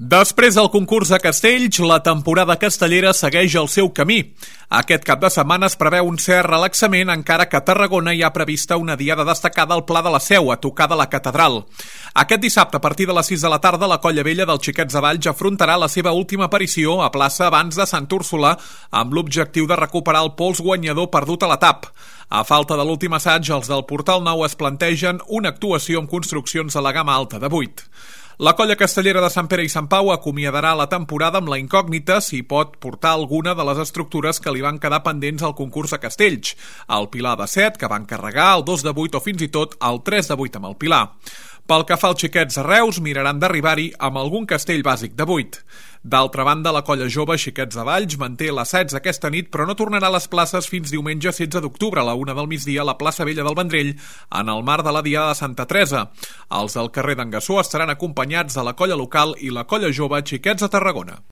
Després del concurs a Castells, la temporada castellera segueix el seu camí. Aquest cap de setmana es preveu un cert relaxament, encara que a Tarragona hi ha prevista una diada destacada al Pla de la Seu, a tocar de la Catedral. Aquest dissabte, a partir de les 6 de la tarda, la Colla Vella dels Xiquets de Valls afrontarà la seva última aparició a plaça abans de Sant Úrsula, amb l'objectiu de recuperar el pols guanyador perdut a la TAP. A falta de l'últim assaig, els del Portal Nou es plantegen una actuació amb construccions a la gamma alta de 8. La colla castellera de Sant Pere i Sant Pau acomiadarà la temporada amb la incògnita si pot portar alguna de les estructures que li van quedar pendents al concurs a Castells, el Pilar de 7, que van carregar, el 2 de 8 o fins i tot el 3 de 8 amb el Pilar. Pel que fa als xiquets a Reus, miraran d'arribar-hi amb algun castell bàsic de 8. D'altra banda, la colla jove Xiquets de Valls manté l'assaig aquesta nit, però no tornarà a les places fins diumenge 16 d'octubre a la 1 del migdia a la plaça Vella del Vendrell, en el marc de la Diada de Santa Teresa. Els del carrer d'en Gassó estaran acompanyats de la colla local i la colla jove Xiquets de Tarragona.